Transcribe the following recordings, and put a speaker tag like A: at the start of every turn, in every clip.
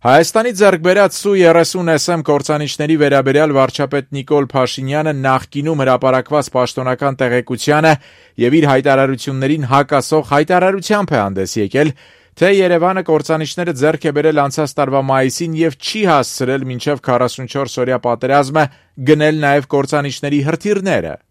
A: Հայաստանի ձեռք բերած Su-30SM կործանիչների վերաբերյալ վարչապետ Նիկոլ Փաշինյանը նախկինում հրապարակված պաշտոնական տեղեկությանը եւ իր հայտարարություններին հակասող հայտարարությամբ է հանդես եկել, թե Երևանը կործանիչները ձեռք է բերել անցած տարվա մայիսին եւ չի հասցրել մինչեւ 44-օրյա պատերազմը գնել նաեւ կործանիչների հրթիռները։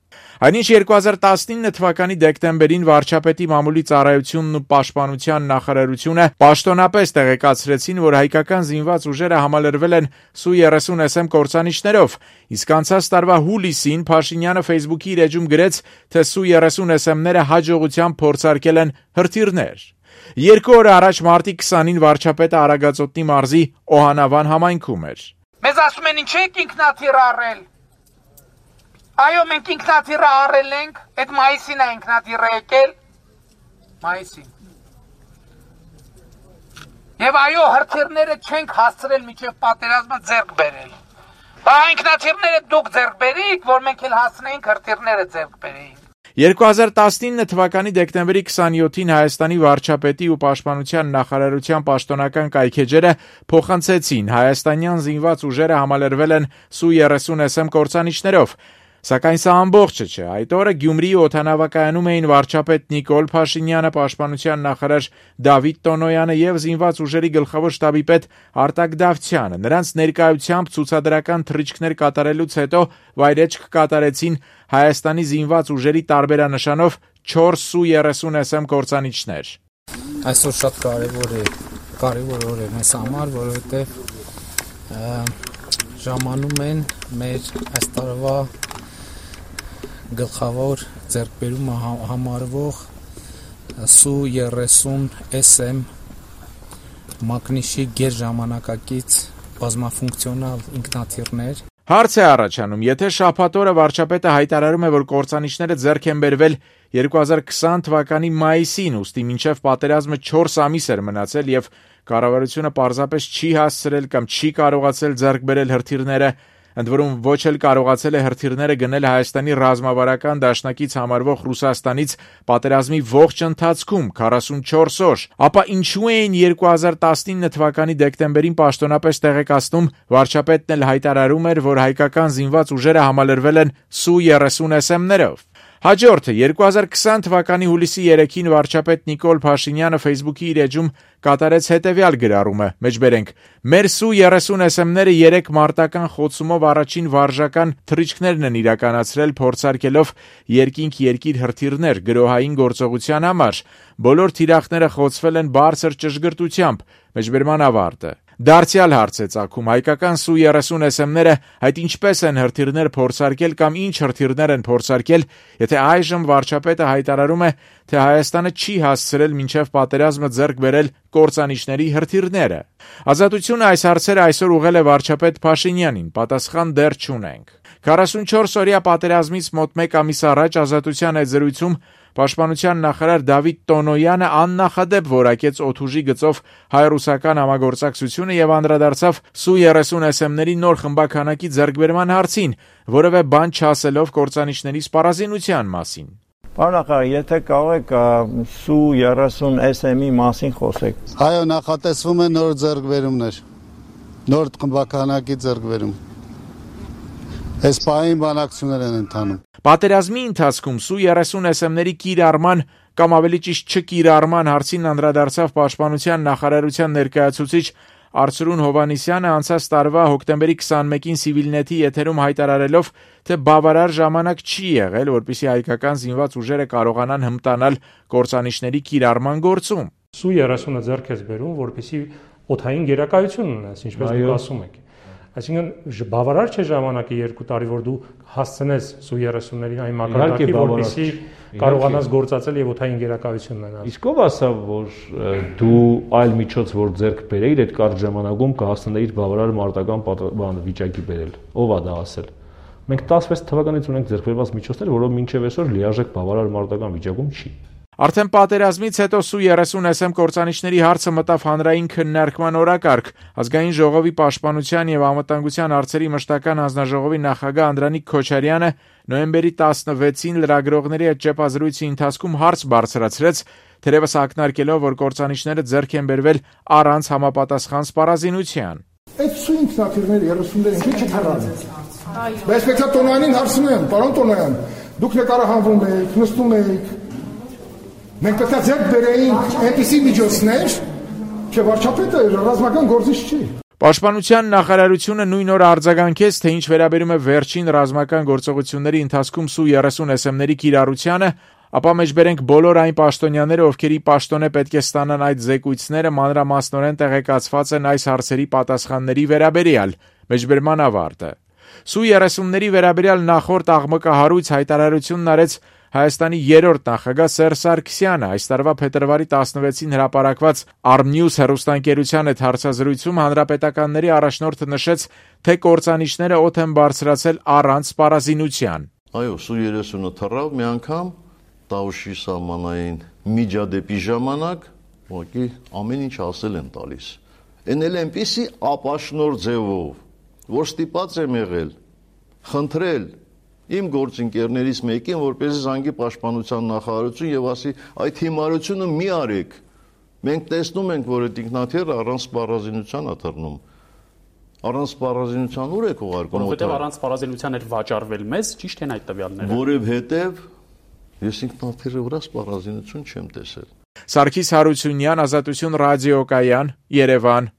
A: Այնինչ 2019 թվականի դեկտեմբերին վարչապետի մամուլի ծառայությունն ու պաշտպանության նախարարությունը պաշտոնապես տեղեկացրեցին, որ հայկական զինված ուժերը համալրվել են Su-30SM կործանիչներով, իսկ անցած տարվա հուլիսին Փաշինյանը Facebook-ի իր էջում գրեց, թե Su-30SM-ները հաջողությամբ փորձարկել են հրթիռներ։ 2 օր առաջ մարտի 20-ին վարչապետը Արագածոտնի մարզի Օհանավան համայնքում էր։
B: Մեզ ասում են ինչ եք ինքնաթիռ առել։ Այո, մենք ինքնաթիռը առել ենք, այդ մայիսին է ինքնաթիռը եկել, մայիսին։ Եվ այո, հրթիռները չենք հասցրել մինչև պատերազմը ձեռք բերել։ Բա ինքնաթիռները դուք ձեռք բերիք, որ մենք էլ հասցնեինք հրթիռները ձեռք բերեինք։
A: 2019 թվականի դեկտեմբերի 27-ին Հայաստանի վարչապետի ու պաշտպանության նախարարության պաշտոնական կայքեջերը փոխանցեցին հայաստանյան զինված ուժերը համալրվել են Su-30SM կործանիչներով։ Սակայն սա ամբողջը չէ։ Այդ օրը Գյումրիի օդանավակայանում էին վարչապետ Նիկոլ Փաշինյանը, պաշտպանության նախարար Դավիթ Տոնոյանը եւ զինված ուժերի գլխավոր շտաբի պետ Արտակ Դավթյանը։ Նրանց ներկայությամբ ցուցադրական թռիչքներ կատարելուց հետո վայրէջք կատարեցին Հայաստանի զինված ուժերի տարբերանշանով 4 Su-30SM կործանիչներ։
C: Այսօր շատ կարևոր օր է մեզ համար, որովհետեւ ժամանում են մեր այս տարվա գլխավոր ձեռքբերումը համարվող Su-30SM մակնիշի գերժամանակակից բազմաֆունկցիոնալ ինքնաթիռներ։
A: Հարց է առաջանում, եթե շաբաթ օրը վարչապետը հայտարարում է, որ կործանիչները ձեռք են բերվել 2020 թվականի մայիսին, ուստի մինչև պատերազմը 4 ամիս էր մնացել եւ կառավարությունը պարզապես չի հասցրել կամ չի կարողացել ձեռք բերել հրթիռները, ընդ որում ոչ էլ կարողացել է հրթիռները գնել Հայաստանի ռազմավարական դաշնակից համարվող Ռուսաստանից պատերազմի ողջ ընթացքում 44 օր, ապա ինչու էին 2019 թվականի դեկտեմբերին պաշտոնապես տեղեկացնում, վարչապետն էլ հայտարարում էր, որ հայկական զինված ուժերը համալրվել են Su-30SM-ներով։ Հաջորդը 2020 թվականի հուլիսի 3-ին վարչապետ Նիկոլ Փաշինյանը Facebook-ի իր էջում կատարեց հետևյալ գրառումը. մեջբերենք. մեր Su-30SM-ները 3 մարտական խոցումով առաջին վարժական թռիչքներն են իրականացրել փորձարկելով երկինք-երկիր հրթիռներ գրոհային գործողության համար։ Բոլոր թիրախները խոցվել են բարձր ճշգրտությամբ։ Մեջբերման ավարտը։ Դարձյալ հարց է ծագում, հայկական Su-30SM-ները այդ ինչպես են հրթիռներ փորձարկել կամ ինչ հրթիռներ են փորձարկել, եթե այժմ վարչապետը հայտարարում է, թե Հայաստանը չի հասցրել մինչև պատերազմը ձեռք բերել կործանիչների հրթիռները։ Ազատությունը այս հարցերը այսօր ուղղել է վարչապետ Փաշինյանին, պատասխան դեռ չունենք։ 44-օրյա պատերազմից մոտ 1 ամիս առաջ Ազատության այդ զրույցում Պաշտպանության նախարար Դավիթ Տոնոյանը աննախադեպ որակեց օդուժի գծով հայ-ռուսական համագործակցությունը եւ անդրադարձավ Su-30SM-ների նոր խմբականակի ձեռքբերման հարցին, որևէ բան չասելով կործանիչների սպառազինության մասին։
D: Պարոն նախարար, եթե կարող եք Su-30SM-ի մասին խոսեք։
E: Այո, նախատեսվում է նոր ձեռքբերումներ, նոր խմբականակի ձեռքբերում։ Այս պահին բանակցություններ են ընթանում։
A: Պատերազմի ընթացքում Su-30SM-ների կիրառման կամ ավելի ճիշտ չկիրառման հարցին անդրադարձավ Պաշտպանության նախարարության ներկայացուցիչ Արծրուն Հովհաննիսյանը անցած տարվա հոկտեմբերի 21-ին Civilnet-ի եթերում հայտարարելով, թե բավարար ժամանակ չի եղել, որպեսզի հայկական զինված ուժերը կարողանան հմտանալ կործանիչների կիրառման գործում։
F: Su-30-ը ձեռք է բերում, որպեսզի օդային գերակայություն ունենաս, ինչպես դուք ասում եք։ Այսինքն բավարար չէ ժամանակը 2 տարի, որ դու հասցնես Su-30-ներին այն մակարդակի, որպեսզի կարողանաս գործածել եւ օդային գերակայություն ունենալ։
G: Իսկ ով ասավ, որ դու այլ միջոց որ ձեռք բերեիր, այդ կարճ ժամանակում կհասցնեիր բավարար մարտական վիճակի բերել։ Ով է դա ասել։ Մենք 16 թվականից ունենք ձեռք բերված միջոցներ, որով մինչև այսօր լիարժեք բավարար մարտական վիճակում չի։
A: Արդեն պատերազմից հետո Su-30 SM կործանիչների հարցը մտավ հանրային քննարկման օրակարգ։ Ազգային ժողովի պաշտպանության եւ անվտանգության հարցերի մշտական հանձնաժողովի նախագահ Անդրանիկ Քոչարյանը նոյեմբերի 16-ին լրագրողների հետ ճեպազրույցի ընթացքում հարց բարձրացրեց, թերևս ակնարկելով, որ կործանիչները ձեռք են բերվել առանց համապատասխան սպառազինության։
H: Այդ ինքնաթիռները 30-ները ինչի չթռան։ Բայց պետք է Տոնոյանին հարցնեմ, պարոն Տոնոյան, դուք նկարահանվում եք, նստում եք։ Մենք պետք է ձեռք բերեինք այնպիսի միջոցներ, թե վարչապետը ռազմական գործիչ չի։
A: Պաշտպանության նախարարությունը նույն օրը արձագանքեց, թե ինչ վերաբերում է վերջին ռազմական գործողությունների ընթացքում Su-30 SM-ների կիրառությանը, ապա մեջբերենք բոլոր այն պաշտոնյաները, ովքերի պաշտոն է պետք է ստանան այդ զեկույցները, մանրամասնորեն տեղեկացված են այս հարցերի պատասխանների վերաբերյալ։ Մեջբերման ավարտը։ Su-30-ների վերաբերյալ նախորդ աղմկահարույց հայտարարությունն արեց Հայաստանի երրորդ նախագահ Սերժ Սարգսյանը։ Այս տարվա փետրվարի 16-ին հրապարակված Armnews հեռուստաընկերության հետ հարցազրույցում հանրապետականների առաջնորդը նշեց, թե կործանիչները օդ են բարձրացել առանց սպառազինության։
I: Այո, Su-30-ը թռավ մի անգամ Տաուշի սահմանային միջադեպի ժամանակ, ուղղակի ամեն ինչ ասել են տալիս։ Էն էլ այնպիսի ապաշնոր ձևով, որ ստիպած եմ եղել խնդրել իմ գործընկերներից մեկին, որպեսզի զանգի պաշտպանության նախարարություն եւ ասի, այդ հիմարությունը մի արեք։ Մենք տեսնում ենք, որ այդ ինքնաթիռը առանց սպառազինության է թռնում։ Առանց սպառազինության ուր եք ուղարկում։
J: Որովհետեւ առանց սպառազինության էր վաճառվել մեզ, ճիշտ են այդ տվյալները։
I: Որովհետեւ ես ինքնաթիռի վրա սպառազինություն չեմ տեսել։
A: Սարգիս Հարությունյան, Ազատություն ռադիոկայան, Երևան։